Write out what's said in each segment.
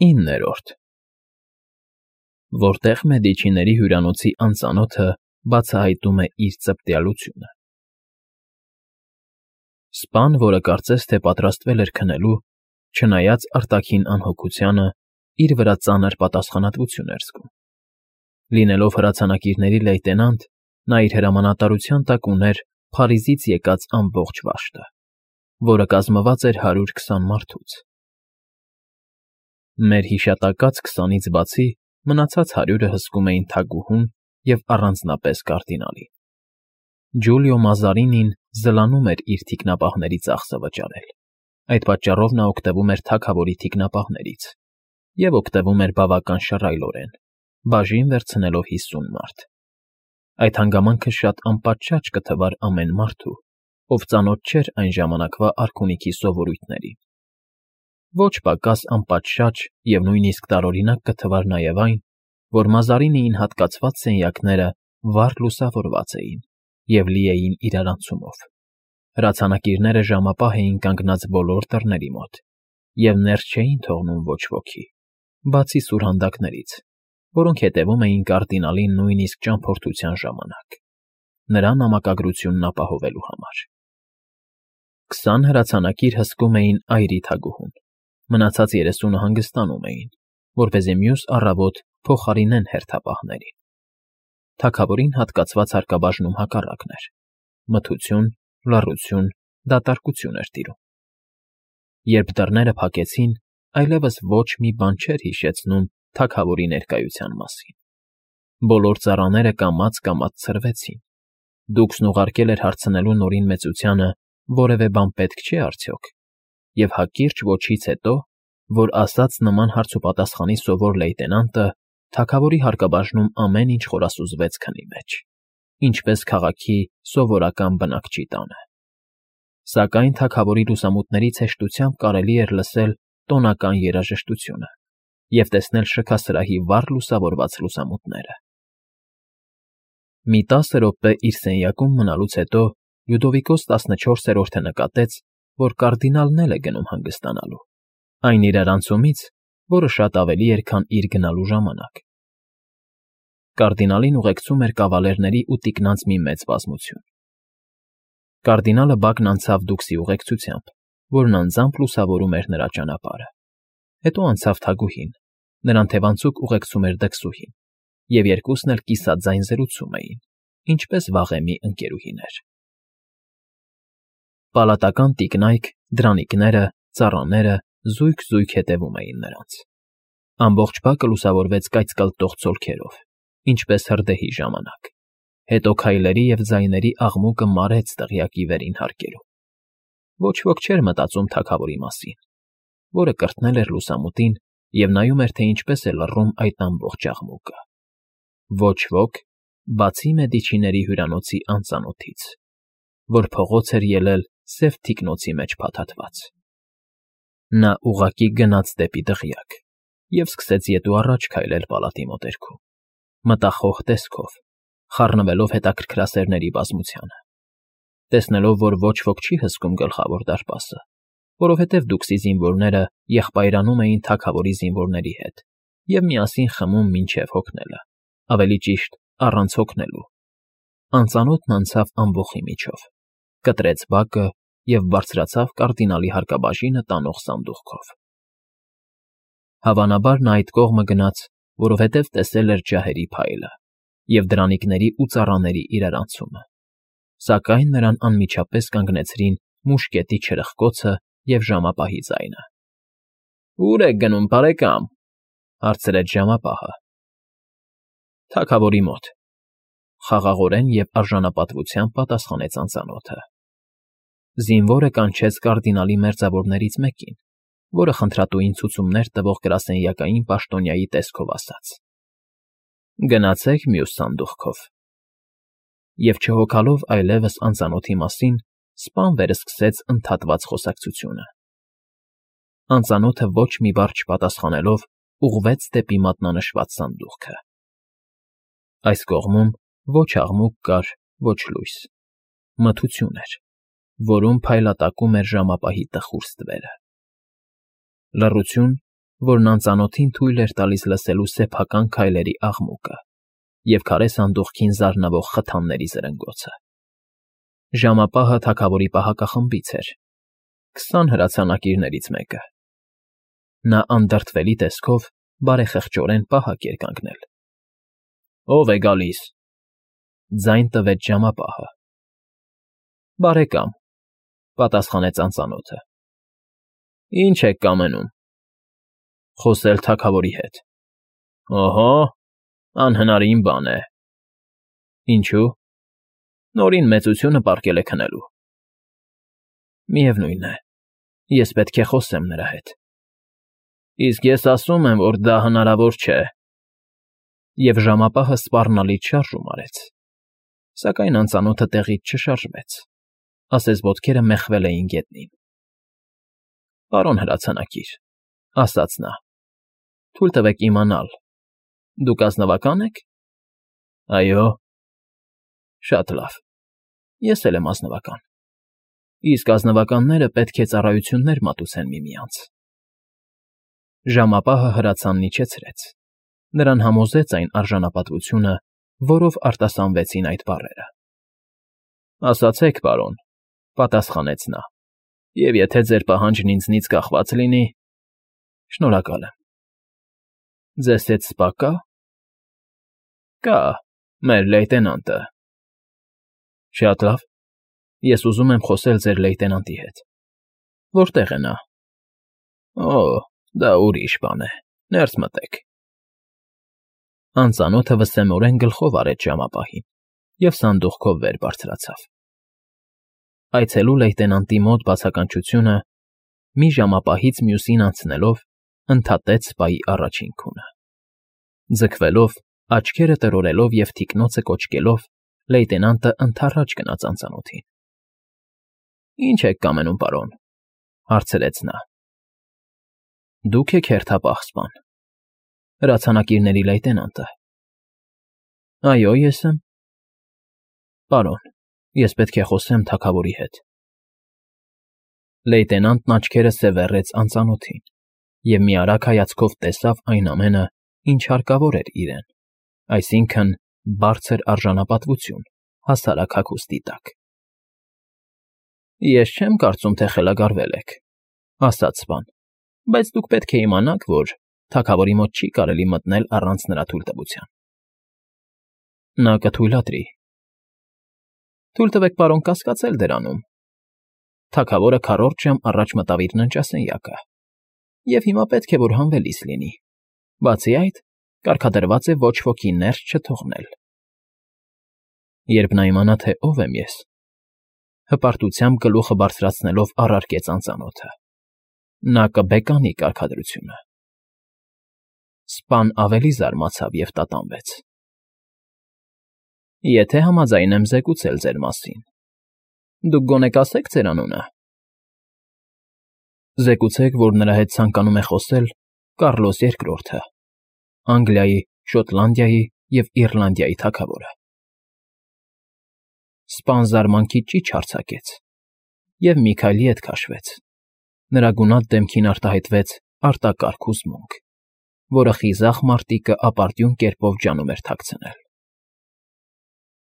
9-րդ Որտեղ Մեդիչիների հյուրանոցի անծանոթը բացահայտում է իր ծպտյալությունը։ Սպան, որը կարծես թե պատրաստվել էր քնելու, չնայած արտաքին անհոգությանը, իր վրա ծանր պատասխանատվություն էր զգում։ Լինելով հրացանակիրների լեյտենանտ, նա իր հրամանատարության տակ ուներ Փարիզից եկած ամբողջ վաշտը, որը կազմված էր 120 մարդուց։ Մեր հիշատակած 20-ից բացի մնացած 100-ը հսկում էին թագուհուն և առանձնապես կարդինալին։ Ջուլիո Մազարինին զլանում էր իր թիկնապահների ծախսը վճարել, այդ պատճառով նա օգտվում էր թագավորի թիկնապահներից և օգտվում էր բավական շռայլորեն, բաժին վերցնելով 50 մարդ։ Այդ հանգամանքը շատ անպատշաճ կթվար ամեն մարդու, ով ծանոթ չէր այն ժամանակվա արքունիքի սովորույթներին։ Ոչ պակաս անպատշաճ և նույնիսկ տարօրինակ կթվար նաև այն, որ Մազարինիին հատկացված սենյակները վառ լուսավորված էին և լի էին իրարանցումով։ Հրացանակիրները ժամապահ էին կանգնած բոլոր դռների մոտ և ներս չէին թողնում ոչ ոքի, բացի սուրհանդակներից, որոնք հետևում էին կարդինալին նույնիսկ ճամփորդության ժամանակ, նրա նամակագրությունն ապահովելու համար։ 20 հրացանակիր հսկում էին այրի թագուհուն, մնացած 30-ը հանգստանում էին, որպեսզի մյուս առավոտ փոխարինեն հերթապահներին։ Թագավորին հատկացված հարկաբաժնում հակառակն էր. մթություն, լռություն, դատարկություն էր տիրում։ Երբ դռները փակեցին, այլևս ոչ մի բան չէր հիշեցնում թագավորի ներկայության մասին։ Բոլոր ծառաները կամաց-կամաց ցրվեցին։ Դուքսն ուղարկել էր հարցնելու Նորին մեծությանը որևէ բան պետք չէ արդյոք, և հակիրճ ոչից հետո, որ ասաց նման հարցուպատասխանի սովոր լեյտենանտը, թագավորի հարկաբաժնում ամեն ինչ խորասուզվեց քնի մեջ, ինչպես քաղաքի սովորական բնակչի տանը։ Սակայն թագավորի լուսամուտներից հեշտությամբ կարելի էր լսել տոնական երաժշտությունը և տեսնել շքասրահի վառ լուսավորված լուսամուտները։ Մի 10 րոպե իր սենյակում մնալուց հետո Լյուդովիկոս 14-րդը նկատեց, որ կարդինալն էլ է գնում հանգստանալու, այն իրարանցումից, որը շատ ավելի էր, քան իր գնալու ժամանակ։ Կարդինալին ուղեկցում էր կավալերների ու տիկնանց մի մեծ բազմություն։ Կարդինալը բակն անցավ դուքսի ուղեկցությամբ, որն անձամբ լուսավորում էր նրա ճանապարհը։ Հետո անցավ թագուհին, նրան թևանցուկ ուղեկցում էր դքսուհին, և երկուսն էլ կիսաձայն զրուցում էին, ինչպես վաղեմի ընկերուհիներ։ Պալատական տիկնայք, դրանիկները, ծառաները զույգ֊զույգ հետևում էին նրանց։ Ամբողջ բակը լուսավորվեց կայծկլտող ցոլքերով, ինչպես հրդեհի ժամանակ։ Հետո քայլերի և ձայների աղմուկը մարեց դղյակի վերին հարկերում։ Ոչ ոք չէր մտածում թագավորի մասին, որը կրթնել էր լուսամուտին և նայում էր, թե ինչպես է լռում այդ ամբողջ աղմուկը։ Ոչ ոք, բացի Մեդիչիների հյուրանոցի անծանոթից, որ փողոց էր ելել սև թիկնոցի մեջ փաթաթված։ Նա ուղղակի գնաց դեպի դղյակ և սկսեց ետու առաջ քայլել պալատի մոտերքում, մտախոհ տեսքով, խառնվելով հետաքրքրասերների բազմությանը։ Տեսնելով, որ ոչ ոք չի հսկում գլխավոր դարպասը, որովհետև դուքսի զինվորները եղբայրանում էին թագավորի զինվորների հետ և միասին խմում մինչև հոգնելը, ավելի ճիշտ, առանց հոգնելու, անծանոթն անցավ ամբոխի միջով, կտրեց բակը և բարձրացավ կարդինալի հարկաբաժինը տանող սանդուղքով։ Հավանաբար նա այդ կողմը գնաց, որովհետև տեսել էր ջահերի փայլը և դրանիկների ու ծառաների իրարանցումը, սակայն նրան անմիջապես կանգնեցրին մուշկետի չրխկոցը և ժամապահի ձայնը։ ֊ Ո՞ւր եք գնում, բարեկամ,֊ հարցրեց ժամապահը։ ֊ Թագավորի մոտ,֊ խաղաղորեն և արժանապատվությամբ պատասխանեց անծանոթը։ Զինվորը կանչեց կարդինալի մերձավորներից մեկին, որը խնդրատուին ցուցումներ տվող գրասենյակային պաշտոնյայի տեսքով ասաց. «Գնացեք մյուս սանդուղքով»։ Եվ չհոգալով այլևս անծանոթի մասին, սպան վերսկսեց ընդհատված խոսակցությունը։ Անծանոթը ոչ մի բառ չպատասխանելով ուղղվեց դեպի մատնանշված սանդուղքը։ Այս կողմում ոչ աղմուկ կար, ոչ լույս, մթություն էր, որում փայլատակում էր ժամապահի տխուր ստվերը։ Լռություն, որն անծանոթին թույլ էր տալիս լսելու սեփական քայլերի աղմուկը և քարե սանդուղքին զարնվող խթանների զրնգոցը։ Ժամապահը թագավորի պահակախմբից էր, 20 հրացանակիրներից մեկը։ Նա անդրդվելի տեսքով բարեխղճորեն պահակ էր կանգնել։ «Ո՞վ է գալիս», ձայն տվեց ժամապահը։ «Բարեկամ», պատասխանեց անծանոթը։ «Ինչ եք կամենում»։ «Խոսել թագավորի հետ»։ «Օհո, անհնարին բան է»։ «Ինչու»։ «Նորին մեծությունը պառկել է քնելու»։ «Միևնույն է, ես պետք է խոսեմ նրա հետ»։ «Իսկ ես ասում եմ, որ դա հնարավոր չէ»։ Եվ ժամապահը սպառնալից շարժում արեց, սակայն անծանոթը տեղից չշարժվեց, ասես ոտքերը մեխվել էին գետնին։ «Պարոն հրացանակիր», ասաց նա, «թույլ տվեք իմանալ, դուք ազնվակա՞ն եք»։ «Այո»։ «Շատ լավ, ես էլ եմ ազնվական, իսկ ազնվականները պետք է ծառայություններ մատուցեն միմյանց»։ Ժամապահը հրացանն իջեցրեց, նրան համոզեց այն արժանապատվությունը, որով արտասանվեցին այդ բառերը։ «Ասացեք, պարոն», պատասխանեց նա, «և եթե ձեր պահանջն ինձնից կախված լինի»։ «Շնորհակալ եմ»։ «Ձեզ հետ սպա կա»։ «Կա, մեր լեյտենանտը»։ «Շատ լավ, ես ուզում եմ խոսել ձեր լեյտենանտի հետ։ Որտե՞ղ է նա»։ «Օ, դա ուրիշ բան է, ներս մտեք»։ Անծանոթը վսեմորեն գլխով արեց ժամապահին և սանդուղքով վեր բարձրացավ։ Այցելու լեյտենանտի մոտ բացականչությունը, մի ժամապահից մյուսին անցնելով, ընդհատեց սպայի առաջին քունը։ Ձգվելով, աչքերը տրորելով և թիկնոցը կոճկելով, լեյտենանտը ընդառաջ գնաց անծանոթին։ «Ինչ եք կամենում, պարոն», հարցրեց նա։ «Դուք եք հերթապահ սպան, հրացանակիրների լեյտենանտը»։ «Այո, ես եմ»։ «Պարոն, ես պետք է խոսեմ թագավորի հետ»։ Լեյտենանտն աչքերը սևեռեց անծանոթին և մի արագ հայացքով տեսավ այն ամենը, ինչ հարկավոր էր իրեն, այսինքն՝ բարձր արժանապատվություն հասարակ հագուստի տակ։ «Ես չեմ կարծում, թե խելագարվել եք», ասաց սպան, «բայց դուք պետք է իմանաք, որ թագավորի մոտ չի կարելի մտնել առանց նրա թույլտվության»։ «Նա կթույլատրի»։ «Թույլ տվեք, պարոն, կասկածել դրանում։ Թագավորը քառորդ ժամ առաջ մտավ իր ննջասենյակը, և հիմա պետք է, որ հանվելիս լինի։ Բացի այդ, կարգադրված է ոչ ոքի ներս չթողնել»։ «Երբ նա իմանա, թե ով եմ ես», հպարտությամբ գլուխը բարձրացնելով առարկեց անծանոթը, «նա կբեկանի կարգադրությունը»։ Սպան ավելի զարմացավ և տատանվեց։ «Եթե համաձայն եմ զեկուցել ձեր մասին, դուք գոնե կասեք ձեր անունը»։ «Զեկուցեք, որ նրա հետ ցանկանում է խոսել Կառլոս II, Անգլիայի, Շոտլանդիայի և Իռլանդիայի թագավորը»։ Սպան զարմանքից ճիչ արձակեց և մի քայլ ետ քաշվեց, նրա գունատ դեմքին արտահայտվեց արտակարգ հուզմունք, որը խիզախ մարտիկը ապարդյուն կերպով ջանում էր թաքցնել։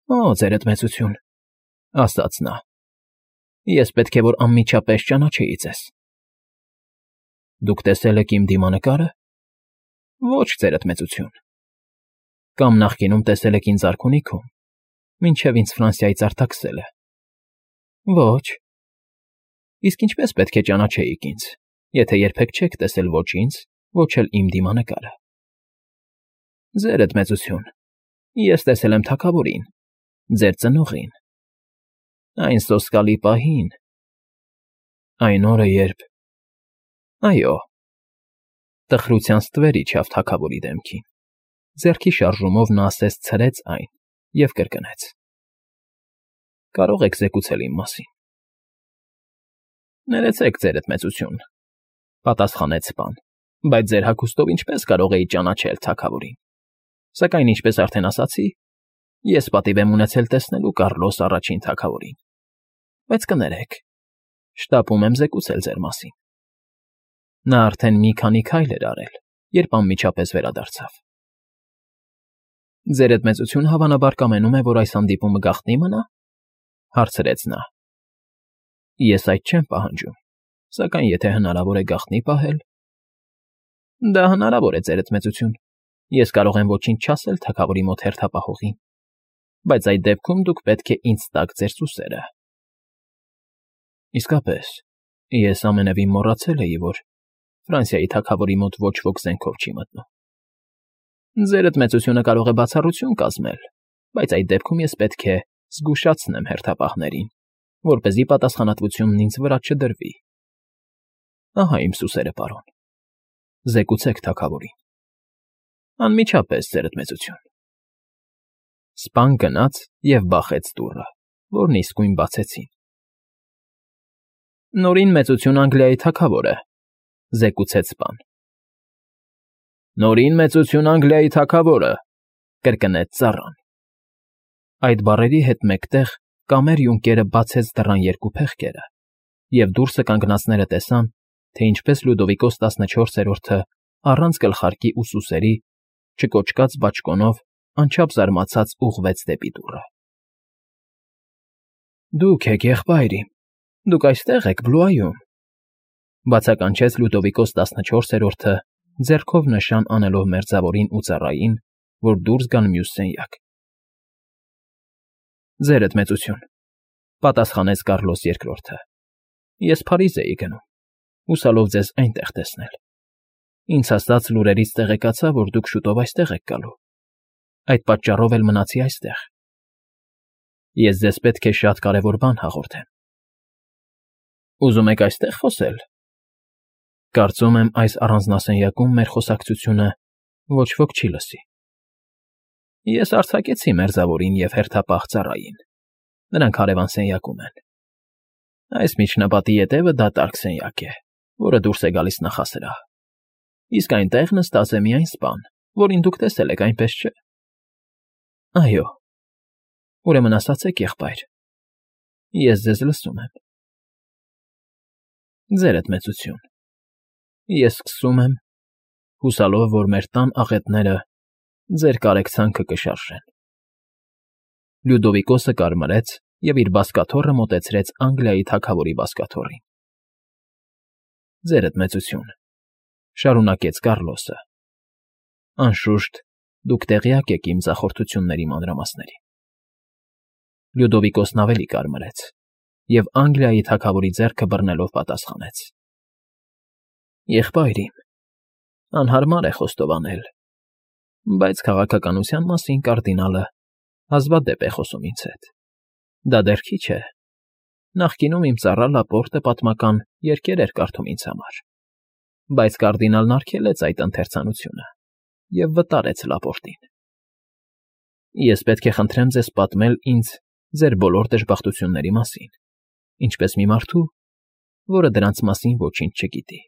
«Օ, ձերդ մեծություն», ասաց նա, «ես պետք է որ անմիջապես ճանաչեի ձեզ»։ «Դուք տեսել եք իմ դիմանկարը»։ «Ոչ, ձերդ մեծություն»։ «Կամ նախկինում տեսել եք ինձ արքունիքում, մինչև ինձ Ֆրանսիայից արձակել է»։ «Ոչ»։ «Իսկ ինչպես պետք է ճանաչեիք ինձ, եթե երբեք չեք տեսել ոչ ինձ, ոչ էլ իմ դիմանկարը»։ «Ձերդ մեծություն, ես տեսել եմ թագավորին, ձեր ծնողին, այն սոսկալի պահին, այն օրը, երբ…» «Այո»։ Տխրության ստվեր իջավ թագավորի դեմքին, ձեռքի շարժումով նա ասես ցրեց այն և կրկնեց. «Կարող եք զեկուցել իմ մասին»։ «Ներեցեք, ձերդ մեծություն», պատասխանեց սպան, «բայց ձեր հագուստով ինչպես կարող էի ճանաչել թագավորին։ Սակայն, ինչպես արդեն ասացի, ես պատիվ եմ ունեցել տեսնելու Կառլոս առաջին թագավորին։ Բայց կներեք, շտապում եմ զեկուցել ձեր մասին»։ Նա արդեն մի քանի քայլ էր արել, երբ անմիջապես վերադարձավ։ Ձեր այդ մեծությունը հավանաբար կամենում է, որ այս հանդիպումը գաղտնի մնա, հարցրեց նա։ Ես այդ չեմ պահանջում, սակայն եթե հնարավոր է գաղտնի պահել… Դա հնարավոր է, ձեր այդ մեծություն։ Ես կարող եմ ոչինչ չասել թագավորի մոտ հերթապահողին, բայց այդ դեպքում դուք պետք է ինձ տաք ձեր սուսերը։ Իսկապես, ես ամենևին մոռացել էի, որ Ֆրանսիայի թագավորի մոտ ոչ ոք զենքով չի մտնում։ Ձեր այդ մեծությունը կարող է բացառություն կազմել, բայց այդ դեպքում ես պետք է զգուշացնեմ հերթապահներին, որպեսզի պատասխանատվությունն ինձ վրա չդրվի։ Ահա իմ սուսերը, պարոն։ Զեկուցեք թագավորին։ Անմիջապես, ձեր այդ մեծություն։ Սպան գնաց և բախեց դուռը, որն իսկույն բացեցին։ Նորին մեծություն Անգլիայի թագավորը, զեկուցեց սպան։ Նորին մեծություն Անգլիայի թագավորը, կրկնեց ծառան։ Այդ բառերի հետ մեկտեղ կամեր յունկերը բացեց դռան երկու փեղկերը, և դուրսը կանգնածները տեսան, թե ինչպես Լյուդովիկոս 14-րդը առանց գլխարկի ու սուսերի, չկոճկած բաճկոնով, անչափ զարմացած ուղղվեց դեպի դուռը։ Դուք եք, եղբայր իմ, դուք այստեղ եք, Բլուայում, բացականչեց Լյուդովիկոս 14-րդը, ձեռքով նշան անելով մերձավորին ու ծառային, որ դուրս գան մյուս սենյակ։ Ձեր այդ մեծություն, պատասխանեց Կառլոս II. Ես Փարիզ էի գնում, հուսալով ձեզ այնտեղ տեսնել։ Ինձ հասած լուրերից տեղեկացա, որ դուք շուտով այստեղ եք գալու։ Այդ պատճառով էլ մնացի այստեղ։ Ես ձեզ պետք է շատ կարևոր բան հաղորդեմ։ Ուզում եք այստեղ խոսել։ Կարծում եմ, այս առանձնասենյակում մեր խոսակցությունը ոչ ոք չի լսի։ Ես արձակեցի մերձավորին և հերթապահ ծառային։ Նրանք հարևան սենյակում են։ Այս միջնապատի ետևը դատարկ սենյակ է, որը դուրս է գալիս նախասրահ։ Իսկ այնտեղ նստած է միայն սպան, որին դուք տեսել եք, այնպես չէ։ Այո։ Ուրեմն ասացեք, եղբայր։ Ես ձեզ լսում եմ։ Ձեր այդ մեծություն։ Ես սկսում եմ, հուսալով, որ մեր տան աղետները ձեր կարեկցանքը կշարժեն։ Լյուդովիկոսը կարմրեց և իր բազկաթոռը մոտեցրեց Անգլիայի թագավորի բազկաթոռին։ Ձեր այդ մեծություն, շարունակեց Կառլոսը։ Անշուշտ, դուք տեղյակ եք իմ ձախորդությունների մանրամասներին։ Լյուդովիկոսն ավելի կարմրեց և Անգլիայի թագավորի ձեռքը բռնելով պատասխանեց. Եղբայր իմ, անհարմար է խոստովանել, բայց քաղաքականության մասին կարդինալը հազվադեպ է խոսում ինձ հետ։ Դա դեռ քիչ է։ Նախկինում իմ ծառա Լապորտը պատմական երգեր էր կարդում ինձ համար, բայց կարդինալն արգելեց այդ ընթերցանությունը և վտարեց Լապորտին։ Ես պետք է խնդրեմ ձեզ պատմել ինձ ձեր բոլոր դժբախտությունների մասին, ինչպես մի մարդու, որը դրանց մասին ոչինչ չգիտի։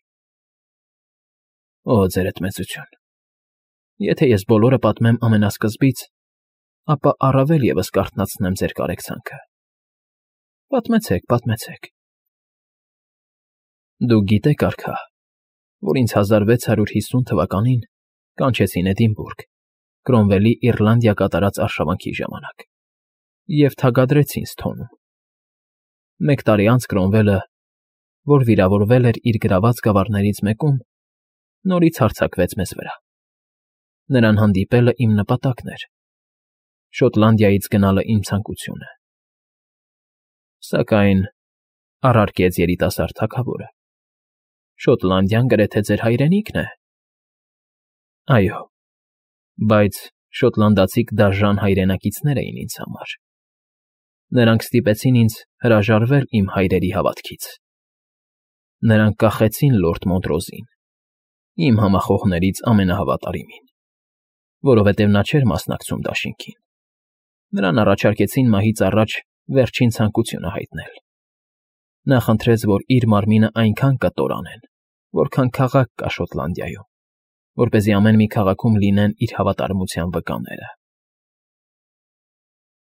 Օ, ձեր այդ մեծություն, եթե ես բոլորը պատմեմ ամենասկզբից, ապա առավել ևս կարթնացնեմ ձեր կարեկցանքը։ Պատմեցեք, պատմեցեք։ Դուք գիտեք, արքա, որ ինձ 1650 թվականին կանչեցին Էդինբուրգ, Կրոմվելի Իռլանդիա կատարած արշավանքի ժամանակ, և թագադրեցին Սթոնում։ Մեկ տարի անց Կրոմվելը, որ վիրավորվել էր իր գրաված գավառներից մեկում, նորից հարձակվեց մեզ վրա։ Նրան հանդիպելը իմ նպատակն էր, Շոտլանդիայից գնալը իմ ցանկությունը։ Սակայն, առարկեց երիտասարդ թագավորը, Շոտլանդիան գրեթե ձեր հայրենիքն է։ Այո, բայց շոտլանդացիք դաժան հայրենակիցներ էին ինձ համար։ Նրանք ստիպեցին ինձ հրաժարվել իմ հայրերի հավատքից։ Նրանք կախեցին լորդ Մոնտրոզին, իմ համախոհներից ամենահավատարիմին, որովհետև նա չէր մասնակցում դաշինքին։ Նրան առաջարկեցին մահից առաջ վերջին ցանկությունը հայտնել։ Նա խնդրեց, որ իր մարմինը այնքան կտորանեն, որքան քաղաք կա Շոտլանդիայում, որպեսզի ամեն մի քաղաքում լինեն իր հավատարմության վկաները։